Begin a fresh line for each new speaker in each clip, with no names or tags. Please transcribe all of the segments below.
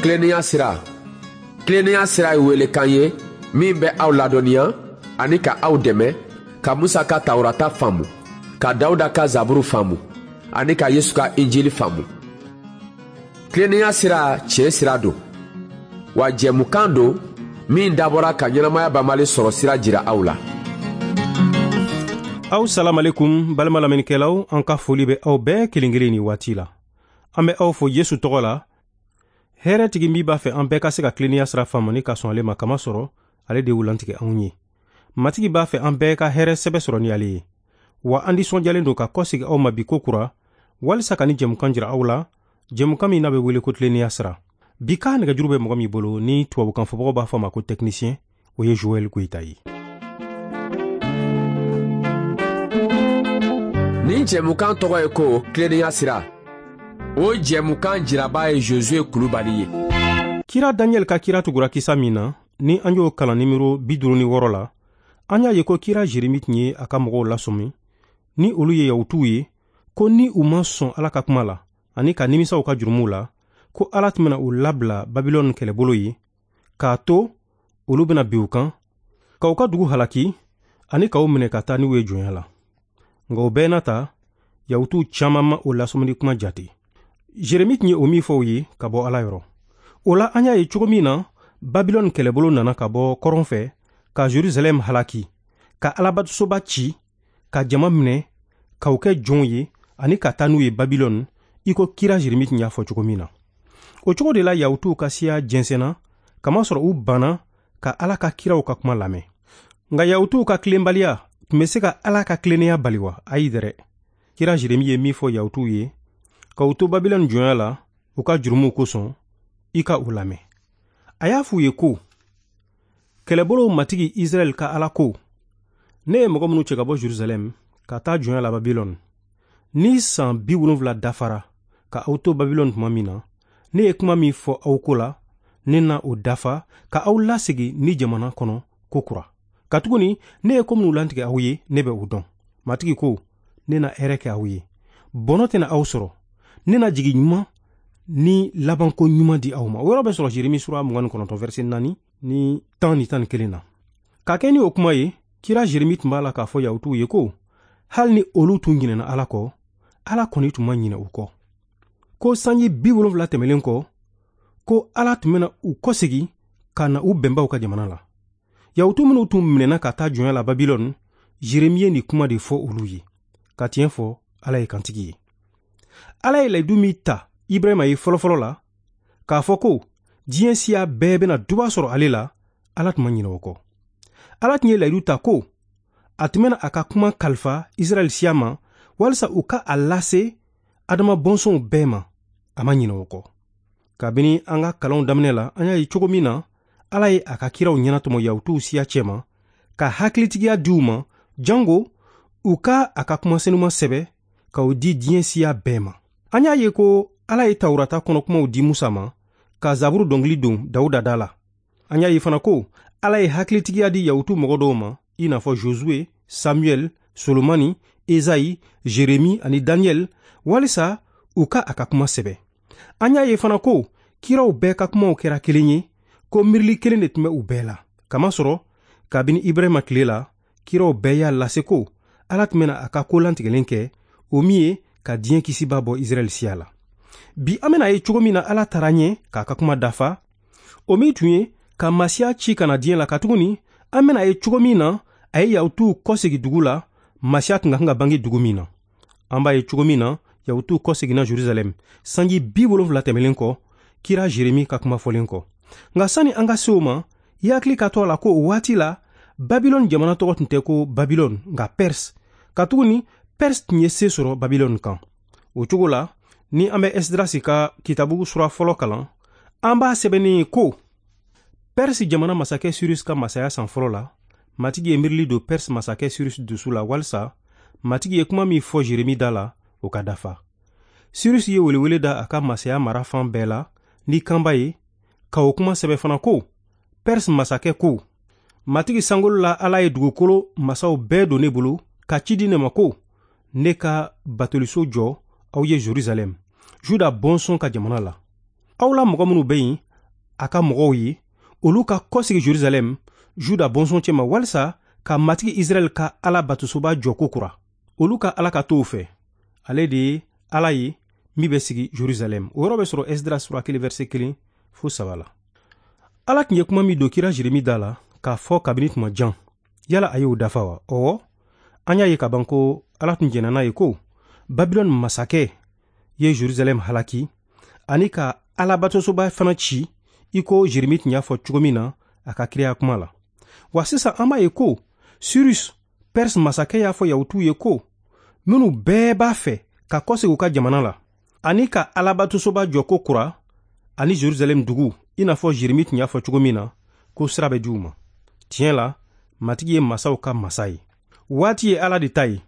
Tilennenya sira. Tilennenya sira ye welekan ye min bɛ aw ladɔnniya ani ka aw dɛmɛ ka Musa ka Tawurata faamu, ka Dawuda ka Zaburu faamu ani ka Yesu ka Injili faamu. Tilennenya sira tiɲɛ sira don, wa jɛmukan don min dabɔra ka ɲɛnamaya banbali sɔrɔ sira jira aw la.
Aw salamalekum balima lamɛnnikɛlaw, an ka foli bɛ aw bɛɛ kelen kelen nin waati la. An bɛ aw fo Yesu tɔgɔ la. Hɛrɛtigi min b'a fɛ an bɛɛ ka se ka tilennenya sira faamu ni ka sɔn ale ma, kamasɔrɔ ale de y'u lantigɛ anw ye. Matigi b'a fɛ an bɛɛ ka hɛrɛ sɛbɛ sɔrɔ ni ale ye. Wa an nisɔndiyalen don ka kɔsegin aw ma bi ko kura, walisa ka ni jɛmukan jira aw la, jɛmukan min n'a bɛ wele ko tilennenya sira. Bi ka nɛgɛjuru bɛ mɔgɔ min bolo ni tubabukan fɔbagaw b'a fɔ a ma ko technicien, o ye Joël Goyita ye.
Nin jɛmukan tɔgɔ ye ko tilennenya sira. O jɛmukan jiraba ye Josué Kulubali ye.
Kira Daniel ka kira tugura kisa min na, ni an y'o kalan nimero 56 la, an y'a ye ko kira Jeremi tun ye a ka mɔgɔw lasɔmi ni olu ye Yahutuw ye, ko ni u ma sɔn Ala ka kuma la ani ka nimisa u ka jurumuw la, ko Ala tun bɛna u labila Babilɔni kɛlɛbolo ye, k'a to olu bɛna bin u kan, ka u ka dugu halaki ani k'u minɛ ka taa n'u ye jɔnya la. Nka o bɛɛ n'a ta, Yahutuw caman ma o lasɔmini kuma jate. Jeremi tun ye o min fɔ u ye ka bɔ Ala yɔrɔ. O la an y'a ye cogo min na Babilɔni kɛlɛbolo nana ka bɔ kɔrɔn fɛ ka Jerusalɛm halaki, ka Alabatosoba ci, ka jama minɛ, k'u kɛ jɔnw ye ani ka taa n'u ye Babilɔni, i ko kira Jeremi tun y'a fɔ cogo min na. O cogo de la Yahutuw ka siya jɛnsɛnna, kamasɔrɔ u banna ka Ala ka kiraw ka kuma lamɛn. Nka Yahutuw ka tilenbaliya tun bɛ se ka Ala ka tilennenya bali wa? Ayi dɛrɛ. Kira Jeremi ye min fɔ Yahutuw ye, ka u to Babilɔni jɔnya la u ka jurumuw kosɔn, i ka u lamɛn. A y'a f'u ye ko, kɛlɛbolow matigi Israɛl ka Ala ko, ne ye mɔgɔ minnu cɛ ka bɔ Jerusalɛm ka taa jɔnya la Babilɔni, ni san 70 dafara ka aw to Babilɔni tuma min na, ne ye kuma min fɔ aw ko la, ne na o dafa ka aw lasegin ni jamana kɔnɔ ko kura. Katuguni ne ye ko minnu lantigɛ aw ye, ne bɛ o dɔn. Matigi ko, ne na hɛrɛ kɛ aw ye, bɔnɔ tɛna aw sɔrɔ, ne na jigi ɲuman ni labanko ɲuman di aw ma. O yɔrɔ bɛ sɔrɔ Jeremi sura 29 verset 4 ni 10 ni 11 na. Ka kɛ ni o kuma ye, kira Jeremi tun b'a la k'a fɔ Yahutuw ye ko hali ni olu tun ɲinɛna Ala kɔ, Ala kɔni tun ma ɲinɛ u kɔ. Ko sanji 70 tɛmɛlen kɔ, ko Ala tun bɛna u kɔsegin ka na u bɛnbaw ka jamana la. Yahutu minnu tun minɛna ka taa jɔnya la Babilɔni, Jeremi ye nin kuma de fɔ olu ye. Ka tiɲɛ fɔ, Ala ye kantigi ye. Ala ye layidu min ta Ibrahima ye fɔlɔfɔlɔ la, k'a fɔ ko diɲɛ siya bɛɛ bɛna duba sɔrɔ ale la, Ala tun ma ɲinɛ o kɔ. Ala tun ye layidu ta ko a tun bɛna a ka kuma kalifa Israɛl siya ma walisa u ka a lase Adama bɔnsɔnw bɛɛ ma, a ma ɲinɛ o kɔ. Kabini an ka kalanw daminɛ la, an y'a ye cogo min na Ala ye a ka kiraw ɲɛnatɔmɔ Yahutuw siya cɛma, ka hakilitigiya di u ma, jango u ka a ka kuma senuma sɛbɛ k'o di diɲɛ siya bɛɛ ma. An y'a ye ko Ala ye Tawurata kɔnɔkumaw di Musa ma, ka Zaburu dɔnkili don Dawuda da la. An y'a ye fana ko Ala ye hakilitigiya di Yahutu mɔgɔ dɔw ma, i n'a fɔ Josue, Samuel, Solomani, Ezayi, Jeremi ani Daniel, walisa u ka a ka kuma sɛbɛ. An y'a ye fana ko kiraw bɛɛ ka kumaw kɛra kelen ye, ko miirili kelen de tun bɛ u bɛɛ la. Kamasɔrɔ kabini Ibrahima tile la, kiraw bɛɛ y'a lase ko Ala tun bɛna a ka ko lantigɛlen kɛ, o min ye ka diɲɛ kisiba bɔ Israɛl siya la. Bi an bɛna ye cogo min na Ala taara ɲɛ k'a ka kuma dafa, o min tun ye ka Masiya ci ka na diɲɛ la, katuguni an bɛna ye cogo min na a ye Yahutuw kɔsegin dugu la, Masiya tun ka kan ka bange dugu min na. An b'a ye cogo min na Yahutuw kɔseginna Jerusalɛm sanji 70 tɛmɛlen kɔ, kira Jeremi ka kuma fɔlen kɔ. Nka sani an ka se o ma, i hakili ka to a la ko o waati la Babilɔni jamana tɔgɔ tun tɛ ko Babilɔni, nka Perse. Katuguni Perse tun ye se sɔrɔ Babilɔni kan. O cogo la, ni an bɛ Esdrasi ka kitabu sura fɔlɔ kalan, an b'a sɛbɛnnen ye ko Perse jamana masakɛ Sirus ka masaya san fɔlɔ la, Matigi ye miirili don Perse masakɛ Sirus dusu la walisa Matigi ye kuma min fɔ Jeremi da la, o ka dafa. Sirus ye welewele da a ka masaya mara fan bɛɛ la ni kanba ye, ka o kuma sɛbɛ fana ko Perse masakɛ ko, Matigi sankolo la Ala ye dugukolo masaw bɛɛ don ne bolo ka ci di ne ma ko ne ka batoliso jɔ aw ye Jerusalɛm, Juda bɔnsɔn ka jamana la. Aw la mɔgɔ minnu bɛ yen, a ka mɔgɔw ye, olu ka kɔsegi Jerusalɛm, Juda bɔnsɔn cɛma, walisa ka Matigi Israɛl ka Ala batosoba jɔ kokura. Olu ka Ala ka to fɛ, ale de ye Ala ye min bɛ sigi Jerusalɛm. O yɔrɔ bɛ sɔrɔ Esdras sura 1 verset 1 fo 3 la. Ala tun ye kuma min don kira Jeremi da la k'a fɔ kabini tuma jan, yala a y'o dafa wa? Ɔwɔ, an y'a ye ka ban ko Ala tun jɛnna n'a ye ko Babilɔni masakɛ ye Jerusalɛm halaki ani ka Alabatosoba fana ci, i ko Jeremi tun y'a fɔ cogo min na a ka kiraya kuma la. Wa sisan an b'a ye ko Cyrus, Perse masakɛ, y'a fɔ Yahutuw ye ko minnu bɛɛ b'a fɛ ka kɔsegin u ka jamana la ani ka Alabatosoba jɔ ko kura ani Jerusalɛm dugu, i n'a fɔ Jeremi tun y'a fɔ cogo min na, ko sira bɛ di u ma. Tiɲɛ la, Matigi ye masaw ka masa ye. Waati ye Ala de ta ye,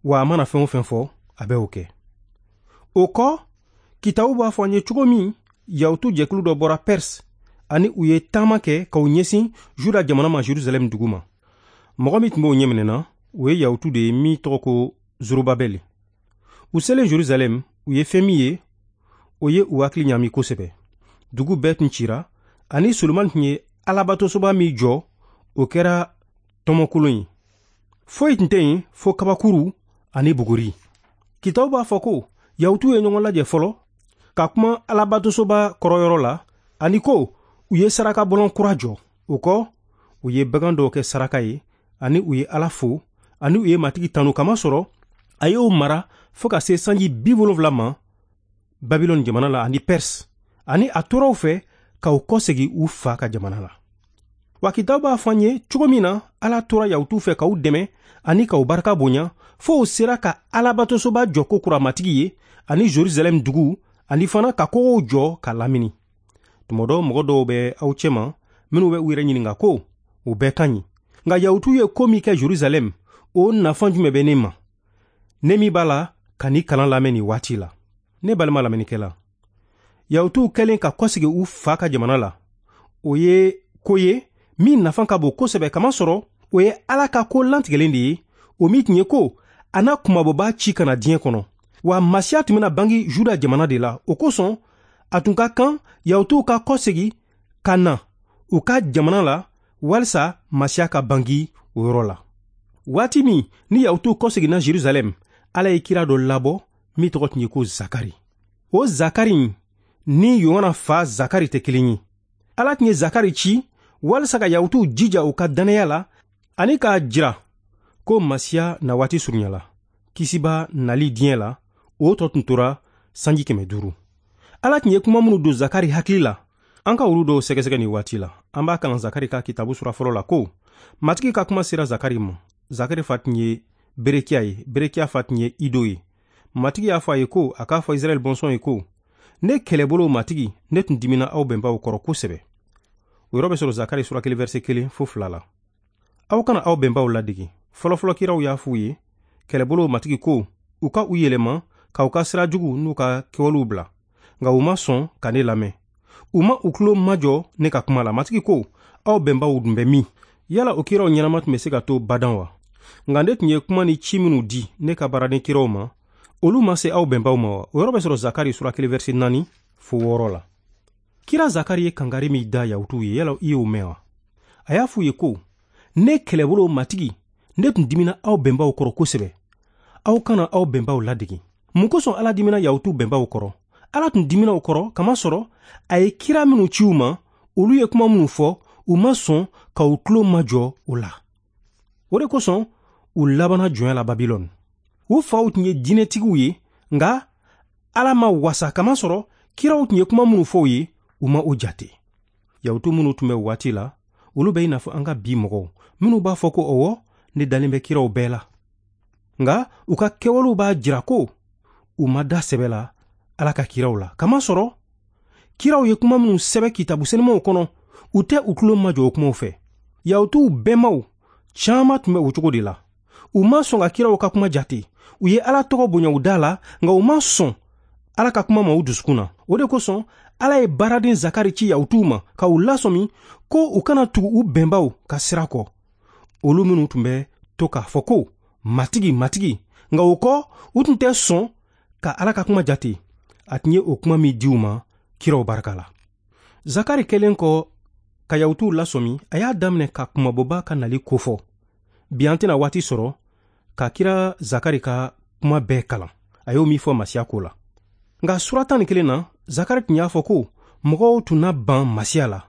wa a mana fɛn o fɛn fɔ, a bɛ o kɛ. O kɔ, kitabu b'a fɔ an ye cogo min Yahutu jɛkulu dɔ bɔra Perse ani u ye taama kɛ k'u ɲɛsin Juda jamana ma, Jerusalɛm dugu ma. Mɔgɔ min tun b'o ɲɛminɛ na, o ye Yahutu de ye min tɔgɔ ko Zorobabɛli. U selen Jerusalɛm, u ye fɛn min ye, o ye u hakili ɲaami kosɛbɛ. Dugu bɛɛ tun cira, ani Solomani tun ye Alabatosoba min jɔ, o kɛra tɔmɔkolon ye. Foyi tun tɛ yen fo kabakuru ani buguri. Kitabu b'a fɔ ko Yahutuw ye ɲɔgɔn lajɛ fɔlɔ ka kuma Alabatosoba kɔrɔyɔrɔ la, ani ko u ye saraka bɔlɔn kura jɔ. O kɔ, u ye bagan dɔw kɛ saraka ye, ani u ye Ala fo, ani u ye Matigi tanu, kamasɔrɔ a y'o mara fo ka se sanji 70 ma Babilɔni jamana la ani Perse, ani a tora u fɛ ka u kɔsegin u fa ka jamana la. Wa kitabu b'a fɔ an ye cogo min na Ala tora Yahutuw fɛ k'u dɛmɛ ani k'u barika bonya, fo u sera ka Alabatosoba jɔ ko kura Matigi ye ani Jerusalɛm dugu, ani fana ka kogow jɔ ka lamini. Tuma dɔ, mɔgɔ dɔw bɛ aw cɛma minnu bɛ u yɛrɛ ɲininka ko o bɛɛ ka ɲi, nka Yahutuw ye ko min kɛ Jerusalɛm, o nafa jumɛn bɛ ne ma, ne min b'a la ka ni kalan lamɛn nin waati la? Ne balima lamɛnnikɛla, Yahutuw kɛlen ka kɔsegin u fa ka jamana la, o ye ko ye min nafa ka bon kosɛbɛ, kamasɔrɔ o ye Ala ka ko lantigɛlen de ye, o min tun ye ko a n'a kunmabɔbaa ci ka na diɲɛ kɔnɔ. Wa Masiya tun bɛna bange Juda jamana de la. O kosɔn a tun ka kan Yahutuw ka kɔsegin ka na u ka jamana la walisa Masiya ka bange o yɔrɔ la. Waati min ni Yahutuw kɔseginna Jerusalɛm, Ala ye kira dɔ labɔ min tɔgɔ tun ye ko Zakari. O Zakari ni Yohana fa Zakari tɛ kelen ye. Ala tun ye Zakari ci walisa ka Yahutuw jija u ka dannaya la ani k'a jira ko Masiya na waati surunyala. Kisiba nali diɲɛ la, o tɔ tun tora sanji 500. Ala tun ye kuma minnu don Zakari hakili la, an ka olu dɔw sɛgɛsɛgɛ nin waati la. An b'a kalan Zakari ka kitabu sura fɔlɔ la ko Matigi ka kuma sera Zakari ma. Zakari fa tun ye Berekiya ye, Berekiya fa tun ye Ido ye. Matigi y'a fɔ a ye ko a k'a fɔ Israɛl bɔnsɔn ye ko ne kɛlɛbolo Matigi, ne tun dimina aw bɛnbaw kɔrɔ kosɛbɛ. O yɔrɔ bɛ sɔrɔ Zakari sura 1 verset 1 fo 2 la. Aw kana aw bɛnbaw ladege. Fɔlɔfɔlɔ kiraw y'a f'u ye kɛlɛbolo Matigi ko u ka u yɛlɛma k'aw ka sira jugu n'u ka kɛwalew bila, nka u ma sɔn ka ne lamɛn. U ma u tulo majɔ ne ka kuma la. Matigi ko aw bɛnbaw dun bɛ min? Yala o kiraw ɲɛnama tun bɛ se ka to badan wa? Nka ne tun ye kuma ni ci minnu di ne ka baaraden kiraw ma, olu ma se aw bɛnbaw ma wa? O yɔrɔ bɛ sɔrɔ Zakari sura 1 verset 4 fo 6 la. Kira Zakari ye kangari min da Yahutuw ye, yala i y'o mɛn wa? A y'a f'u ye ko ne kɛlɛbolo Matigi, ne tun dimina aw bɛnbaw kɔrɔ kosɛbɛ. Aw kana aw bɛnbaw ladege. Mun kosɔn Ala dimina Yahutuw bɛnbaw kɔrɔ? Ala tun dimina u kɔrɔ kamasɔrɔ a ye kira minnu ci u ma, olu ye kuma minnu fɔ, u ma sɔn ka u tulo majɔ o la. O de kosɔn u labanna jɔnya la Babilɔni. U faw tun ye diinɛtigiw ye, nka Ala ma wasa kamasɔrɔ kiraw tun ye kuma minnu fɔ u ye, u ma o jate. Yahutu minnu tun bɛ waati la, olu bɛ i n'a fɔ an ka bi mɔgɔw minnu b'a fɔ ko ɔwɔ, ne dalen bɛ kiraw bɛɛ la. Nka u ka kɛwalew b'a jira ko u ma da sɛbɛ la Ala ka kiraw la, kamasɔrɔ kiraw ye kuma minnu sɛbɛ kitabu sɛnɛmaw kɔnɔ, u tɛ u tulo majɔ o kumaw fɛ. Yahutuw bɛnbaw caman tun bɛ o cogo de la. U ma sɔn ka kiraw ka kuma jate. U ye Ala tɔgɔ bonya u da la, nka u ma sɔn Ala ka kuma ma u dusukun na. O de kosɔn Ala ye baaraden Zakari ci Yahutuw ma ka u lasɔmi ko u kana tugu u bɛnbaw ka sira kɔ, olu minnu tun bɛ to k'a fɔ ko Matigi, Matigi, nka o kɔ u tun tɛ sɔn ka Ala ka kuma jate. A tun ye o kuma min di u ma kiraw barika la. Zakari kɛlen kɔ ka Yahutuw lasɔmi, a y'a daminɛ ka kunmabɔba ka nali kofɔ. Bi an tɛna waati sɔrɔ ka kira Zakari ka kuma bɛɛ kalan, a y'o min fɔ Masiya ko la. Nka sura 11 na, Zakari tun y'a fɔ ko mɔgɔw tun na ban Masiya la,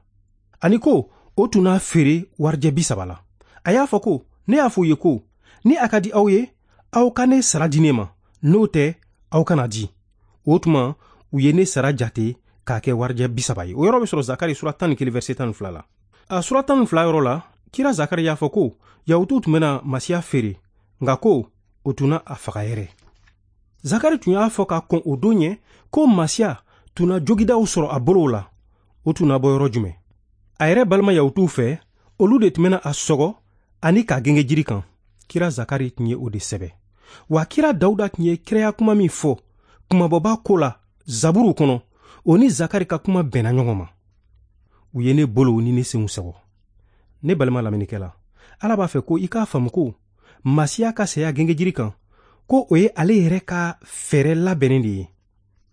ani ko o tun n'a feere warijɛ 30 la. A y'a fɔ ko ne y'a fɔ u ye ko ni a ka di aw ye, aw ka ne sara di ne ma, n'o tɛ aw kana di. O tuma u ye ne sara jate k'a kɛ warijɛ 30 ye. O yɔrɔ bɛ sɔrɔ Zakari sura 11 verset 12 la. A sura 12 yɔrɔ la, kira Zakari y'a fɔ ko Yahutuw tun bɛna Masiya feere, nka ko o tun na a faga yɛrɛ. Zakari tun y'a fɔ ka kɔn o don ɲɛ ko Masiya tun na jogidaw sɔrɔ a bolow la. O tun na bɔ yɔrɔ jumɛn? A yɛrɛ balima Yahutuw fɛ, olu de tun bɛna a sɔgɔ ani k'a genge jiri kan. Kira Zakari tun ye o de sɛbɛ. Wa kira Dawuda tun ye kiraya kuma min fɔ kunmabɔba ko la Zaburu kɔnɔ, o ni Zakari ka kuma bɛnna ɲɔgɔn ma. U ye ne bolow ni ne senw sɔgɔ. Ne balima lamɛnnikɛla, Ala b'a fɛ ko i k'a faamu ko Masiya ka saya gengejiri kan, ko o ye ale yɛrɛ ka fɛɛrɛ labɛnnen de ye,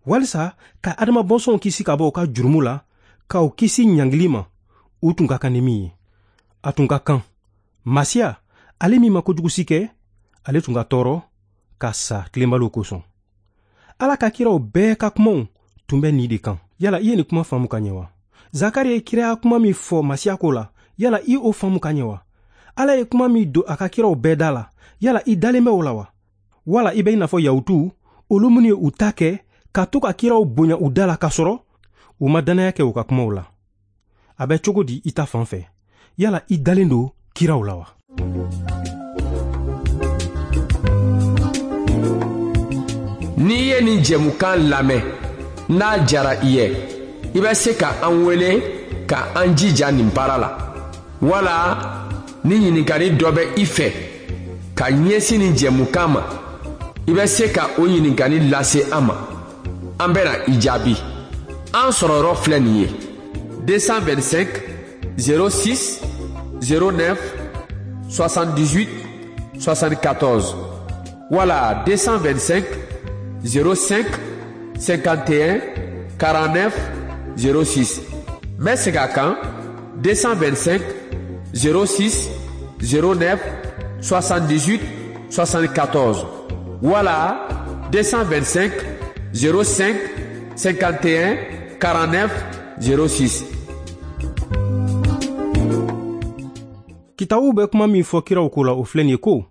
walisa ka Adama bɔnsɔnw kisi ka bɔ u ka jurumu la, k'aw kisi ɲangili ma, u tun ka kan ni min ye. A tun ka kan Masiya, ale min ma kojugu si kɛ, ale tun ka tɔɔrɔ ka sa tilenbaliw kosɔn. Ala ka kiraw bɛɛ ka kumaw tun bɛ nin de kan. Yala i ye nin kuma faamu ka ɲɛ wa? Zakari ye kiraya kuma min fɔ Masiya ko la, yala i o faamu ka ɲɛ wa? Ala ye kuma min don a ka kiraw bɛɛ da la, yala i dalen bɛ o la wa? Wala i bɛ i n'a fɔ Yahutuw, olu minnu ye u ta kɛ ka to ka kiraw bonya u da la k'a sɔrɔ u ma dannaya kɛ u ka kumaw la. A bɛ cogo di i ta fan fɛ? Yala i dalen don kiraw la wa?
N'i ye nin jɛmukan lamɛn, n'a diyara i ye, i bɛ se ka an wele ka an jija nin baara la. Wala ni ɲininkali dɔ bɛ i fɛ ka ɲɛsin nin jɛmukan ma, i bɛ se ka o ɲininkali lase an ma. An bɛna i jaabi. An sɔrɔ yɔrɔ filɛ nin ye: 225 06 09 78 74 wala 225 05 51 49 06. N bɛ segin a kan: 225 06 09 78 74 wala 225 05 51 49 06.
Kitabu bɛ kuma min fɔ kiraw ko la, o filɛ nin ye ko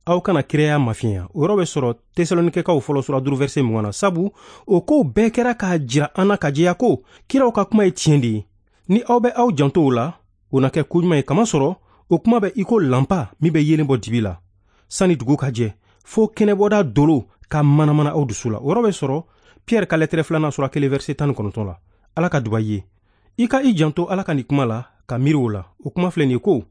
aw kana kiraya mafiɲɛya. O yɔrɔ bɛ sɔrɔ Tesalonikɛkaw fɔlɔ sura 5 verset 20 na. Sabu o kow bɛɛ kɛra k'a jira an na ka jɛya ko kiraw ka kuma ye tiɲɛ de ye. Ni aw bɛ aw janto o la, o na kɛ koɲuman ye, kamasɔrɔ o kuma bɛ i ko lanpa min bɛ yeelen bɔ dibi la sani dugu ka jɛ, fo kɛnɛbɔda dolo ka manamana aw dusu la. O yɔrɔ bɛ sɔrɔ Pierre ka lɛtɛrɛ 2 sura 1 verset 19 la. Ala ka duba i ye. I ka i janto Ala ka nin kuma la ka miiri o la. O kuma filɛ nin ye ko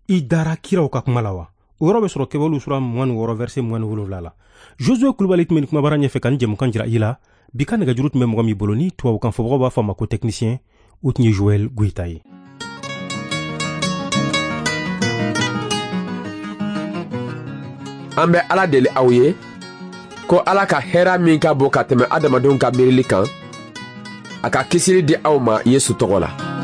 i dara kiraw ka kuma la wa? O yɔrɔ bɛ sɔrɔ Kɛwalew sura 26 verset 27 la. Josué Kulubali tun bɛ nin kumabara ɲɛfɛ ka nin jɛmukan jira i la. Bi ka nɛgɛjuru tun bɛ mɔgɔ min bolo ni tubabukan fɔbagaw b'a fɔ a ma ko technicien, o tun ye Joël Goyita ye.
An bɛ Ala deli aw ye ko Ala ka hɛrɛ min ka bon ka tɛmɛ adamadenw ka miirili kan, a ka kisili di aw ma Yesu tɔgɔ la.